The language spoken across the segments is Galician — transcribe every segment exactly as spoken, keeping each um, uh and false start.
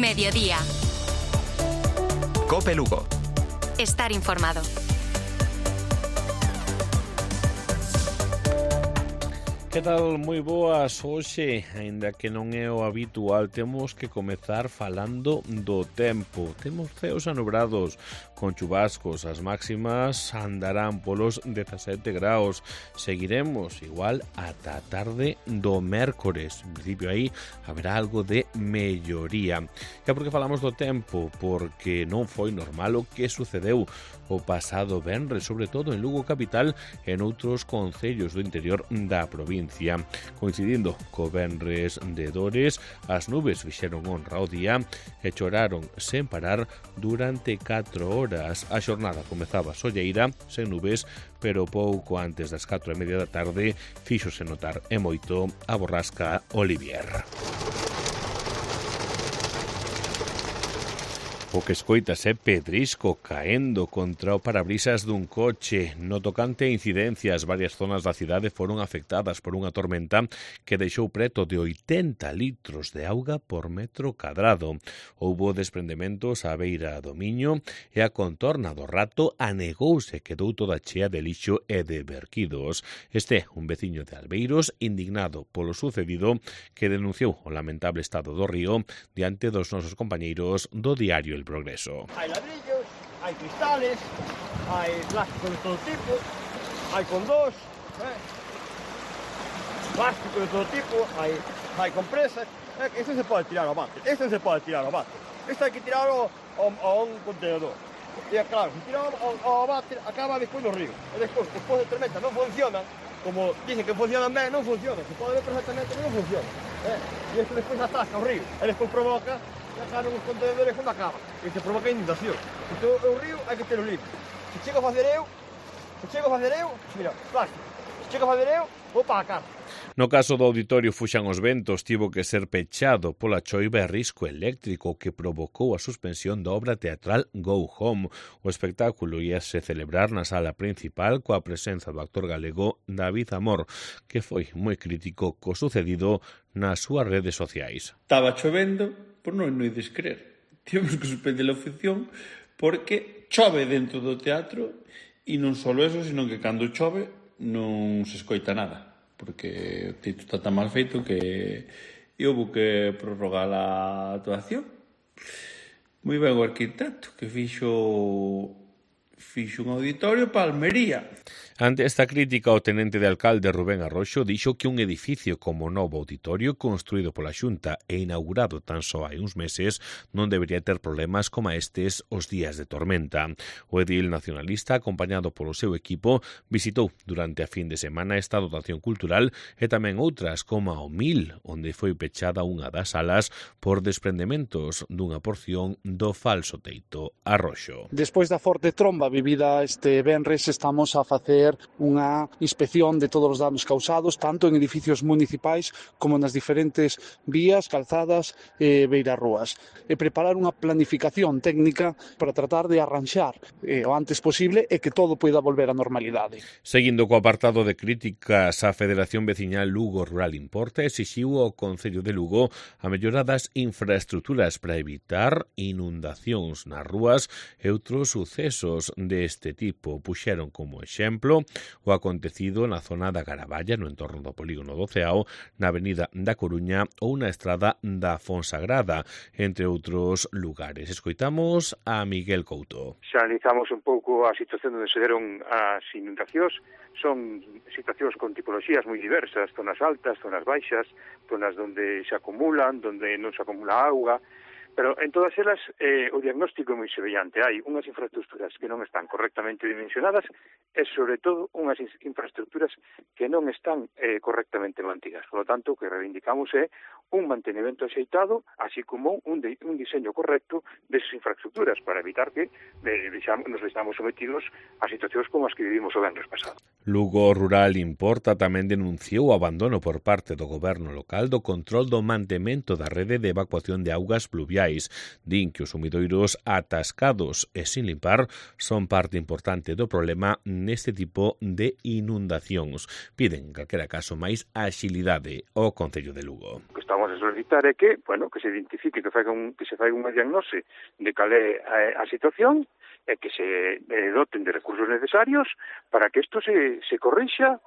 Mediodía. Cope Lugo. Estar informado. Que tal? Moi boas. Hoxe, aínda que non é o habitual, temos que comezar falando do tempo. Temos ceos anubrados con chubascos. As máximas andarán polos dezasete graus. Seguiremos igual ata a tarde do mércores. En principio aí haberá algo de melloría. E por que falamos do tempo? Porque non foi normal o que sucedeu o pasado venres, sobre todo en Lugo capital e noutros concellos do interior da provincia. Coincidindo co venres de Dores, as nubes fixeron honra ao día e choraron sen parar durante catro horas. A xornada comezaba solleira, sen nubes, pero pouco antes das catro e media da tarde fíxose notar e moito a borrasca Olivier. O que escoitas é pedrisco caendo contra o parabrisas dun coche. No tocante a incidencias, varias zonas da cidade foron afectadas por unha tormenta que deixou preto de oitenta litros de auga por metro cadrado. Houbo desprendementos á beira do Miño e a contorna do Rato anegouse e quedou toda chea de lixo e de verquidos. Este é un veciño de Albeiros indignado polo sucedido que denunciou o lamentable estado do río diante dos nosos compañeiros do diario El Progreso. Hai ladrillos, hai cristales, hai plástico de todo tipo, hai condós, eh? plástico de todo tipo, hai, hai compresas. Eh, este se pode tirar ao mate, este se pode tirar ao mate. Este hai que tirarlo a, a un contenedor. E claro, se tiramos ao, ao mate, acaba despois no río. E despois, despois de tormenta non funciona, como dicen que funcionan ben, non funciona. Se pode ver perfectamente que non funciona. Eh? E isto despois atasca o río. E despois provoca e acaban os contenedores cando acaba. E se provoca inundación. Se o río hai que ter o limpo. Se chego a fazer eu, se chego a fazer eu, mira, plástico. Se chego a fazer eu, vou para a casa. No caso do auditorio Fuxan os Ventos, tivo que ser pechado pola choiva e risco eléctrico que provocou a suspensión da obra teatral Go Home. O espectáculo íase celebrar na sala principal coa presenza do actor galego David Amor, que foi moi crítico co sucedido nas súas redes sociais. Estaba chovendo, por non non ides creer. Tivemos que suspender a función porque chove dentro do teatro e non só eso, sino que cando chove non se escoita nada, porque o teito está tan mal feito que houve que prorrogar a actuación. Moi ben o arquitecto que fixo fixo un auditorio para Almería. Ante esta crítica, o tenente de alcalde Rubén Arroxo dixo que un edificio como novo auditorio construído pola Xunta e inaugurado tan só hai uns meses non debería ter problemas como estes os días de tormenta. O edil nacionalista, acompañado polo seu equipo, visitou durante a fin de semana esta dotación cultural e tamén outras como a O Mil, onde foi pechada unha das salas por desprendementos dunha porción do falso teito. Arroxo. Despois da forte tromba vivida este venres, estamos a facer unha inspección de todos os danos causados, tanto en edificios municipais como nas diferentes vías, calzadas e beirarrúas. E preparar unha planificación técnica para tratar de arranxar eh, o antes posible e que todo poida volver á normalidade. Seguindo co apartado de críticas, a Federación Veciñal Lugo Rural Importa exixiu ao Concello de Lugo a mellora das infraestructuras para evitar inundacións nas rúas e outros sucesos deste tipo. Puxeron como exemplo o acontecido na zona da Garaballa, no entorno do polígono do Ceao, na avenida da Coruña ou na estrada da Fonsagrada, entre outros lugares. Escoitamos a Miguel Couto. Xa analizamos un pouco a situación onde se deron as inundacións. Son situacións con tipoloxías moi diversas, zonas altas, zonas baixas, zonas onde se acumulan, onde non se acumula auga. Pero en todas elas eh, o diagnóstico é moi semellante. Hai unhas infraestructuras que non están correctamente dimensionadas e, sobre todo, unhas infraestructuras que non están eh, correctamente mantidas. Por lo tanto, o que reivindicamos é un mantenimento axeitado, así como un, de, un diseño correcto desas infraestructuras para evitar que eh, nos estamos sometidos a situacións como as que vivimos o venres pasado. Lugo Rural Importa tamén denunciou o abandono por parte do goberno local do control do mantemento da rede de evacuación de augas pluviais. Din que os sumidoiros atascados e sin limpar son parte importante do problema neste tipo de inundacións. Piden, en calquera caso, máis axilidade ao Concello de Lugo. O que estamos vamos a solicitar é que, bueno, que se identifique, que, faiga un, que se faiga unha diagnose de cal é a, a situación e que se eh, doten de recursos necesarios para que isto se, se corrixa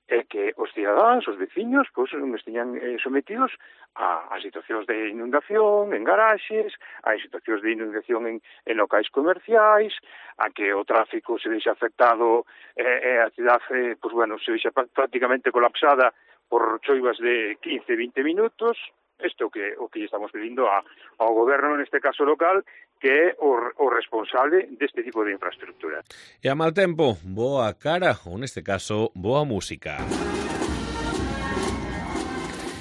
e que os cidadáns, os veciños, pois non esteñan eh, sometidos a, a situacións de inundación en garaxes, a situacións de inundación en, en locais comerciais, a que o tráfico se deixa afectado e eh, a cidade, pois bueno, se deixa prácticamente colapsada por choivas de quince, vinte minutos. Isto é o que, o que estamos pedindo a, ao goberno, neste caso local, que é o, o responsable deste tipo de infraestructura. E a mal tempo, boa cara, ou neste caso, boa música.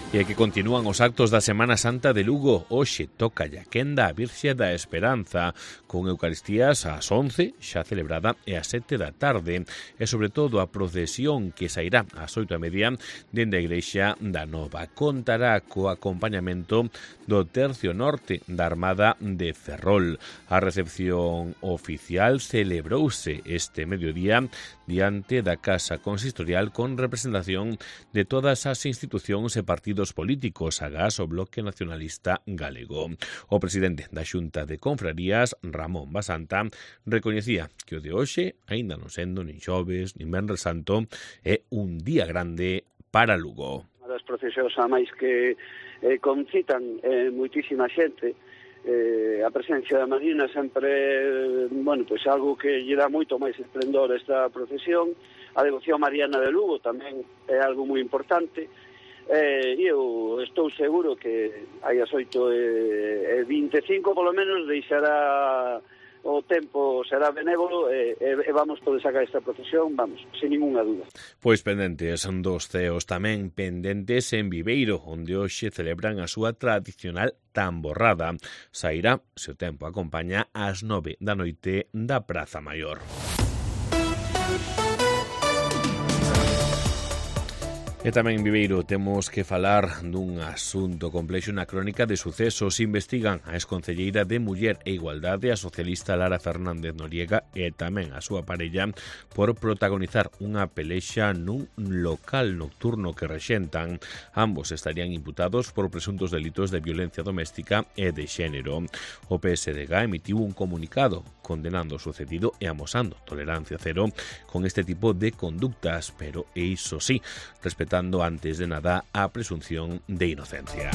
E que continúan os actos da Semana Santa de Lugo. Hoxe toca a quenda a Virxe da Esperanza, con Eucaristías ás once, xa celebrada, e ás sete da tarde. E sobre todo a procesión que sairá ás oito e media dende a Igrexa da Nova. Contará co acompañamento do Tercio Norte da Armada de Ferrol. A recepción oficial celebrouse este mediodía diante da Casa Consistorial con representación de todas as institucións e partidos políticos, agás o Bloque Nacionalista Galego. O presidente da Xunta de Confrarías, Ramón Basanta, recoñecía que o de hoxe, aínda non sendo nin xoves, nin venres santo, é un día grande para Lugo. Unha das procesións a máis que eh, concitan eh, moitísima xente. Eh, a presencia da Marina sempre, bueno, pois algo que lle dá moito máis esplendor a esta procesión. A devoción mariana de Lugo tamén é algo moi importante. Eh, eu estou seguro que hai as oito e vinte e cinco, polo menos, deixará o tempo, será benévolo e, e vamos poder sacar esta procesión, vamos, sin ninguna dúda. Pois pendentes dos ceos, tamén pendentes en Viveiro, onde hoxe celebran a súa tradicional tamborrada. Sairá, se o tempo acompaña, ás nove da noite da Praza Maior. E tamén en Viveiro temos que falar dun asunto complexo na crónica de sucesos. Investigan a exconcelleira de Muller e Igualdade, a socialista Lara Fernández Noriega, e tamén a súa parella por protagonizar unha pelexa nun local nocturno que rexentan. Ambos estarían imputados por presuntos delitos de violencia doméstica e de xénero. O P S D G emitiu un comunicado condenando o sucedido e amosando tolerancia cero con este tipo de conductas, pero iso sí, respetando antes de nada a presunción de inocencia.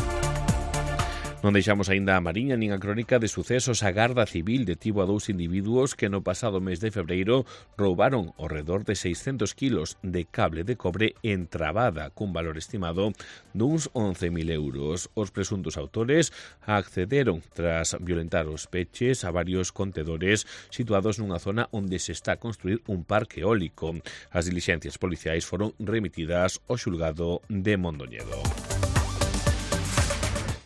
Non deixamos aínda a Mariña nin a crónica de sucesos. A Garda Civil detivo a dous individuos que no pasado mes de febreiro roubaron ao redor de seiscentos kilos de cable de cobre entrabada cun valor estimado duns once mil euros. Os presuntos autores accederon tras violentar os peches a varios contedores situados nunha zona onde se está a construir un parque eólico. As dilixencias policiais foron remitidas ao xulgado de Mondoñedo.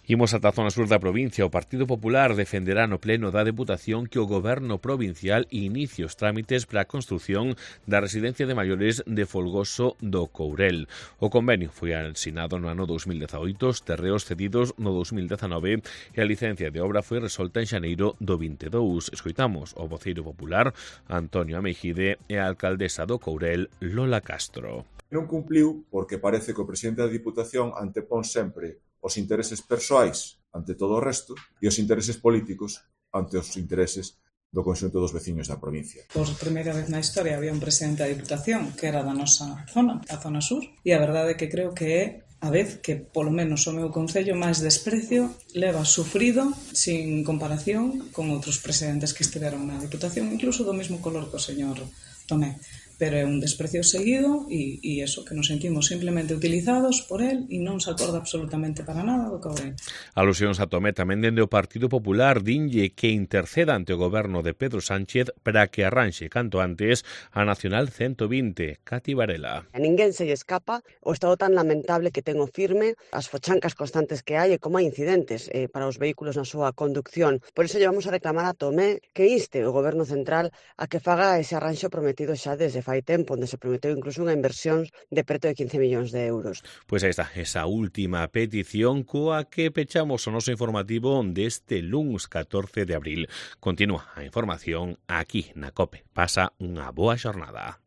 Imos ata a zona sur da provincia. O Partido Popular defenderá no pleno da Deputación que o Goberno provincial inicie os trámites para a construción da residencia de maiores de Folgoso do Courel. O convenio foi asinado no ano dous mil dezaoito, os terreos cedidos no dous mil dezanove e a licencia de obra foi resolta en xaneiro do vinte e dous. Escoitamos o voceiro popular Antonio Ameijide e a alcaldesa do Courel Lola Castro. Non cumpliu porque parece que o presidente da Diputación antepón sempre os intereses persoais ante todo o resto e os intereses políticos ante os intereses do conxunto dos veciños da provincia. Por primeira vez na historia había un presidente da Diputación que era da nosa zona, a zona sur, e a verdade é que creo que é a vez que, polo menos o meu concello, máis desprecio leva sufrido sin comparación con outros presidentes que estiveron na Diputación, incluso do mesmo color que o señor Tomé. Pero é un desprecio seguido e, e eso, que nos sentimos simplemente utilizados por él e non se acorda absolutamente para nada do Courel. Alusións a Tomé tamén dende o Partido Popular dinlle que interceda ante o goberno de Pedro Sánchez para que arranxe canto antes a Nacional ciento vinte. Cati Varela. A ninguén se lle escapa o estado tan lamentable que ten o firme, as fochancas constantes que hai e como hai incidentes eh, para os vehículos na súa conducción. Por iso llevamos a reclamar a Tomé que inste o goberno central a que faga ese arranxo prometido xa desde fai tempo, onde se prometeu incluso unha inversión de preto de quince millóns de euros. Pois aí está, esa última petición coa que pechamos o noso informativo deste luns catorce de abril. Continúa a información aquí na COPE. Pasa unha boa xornada.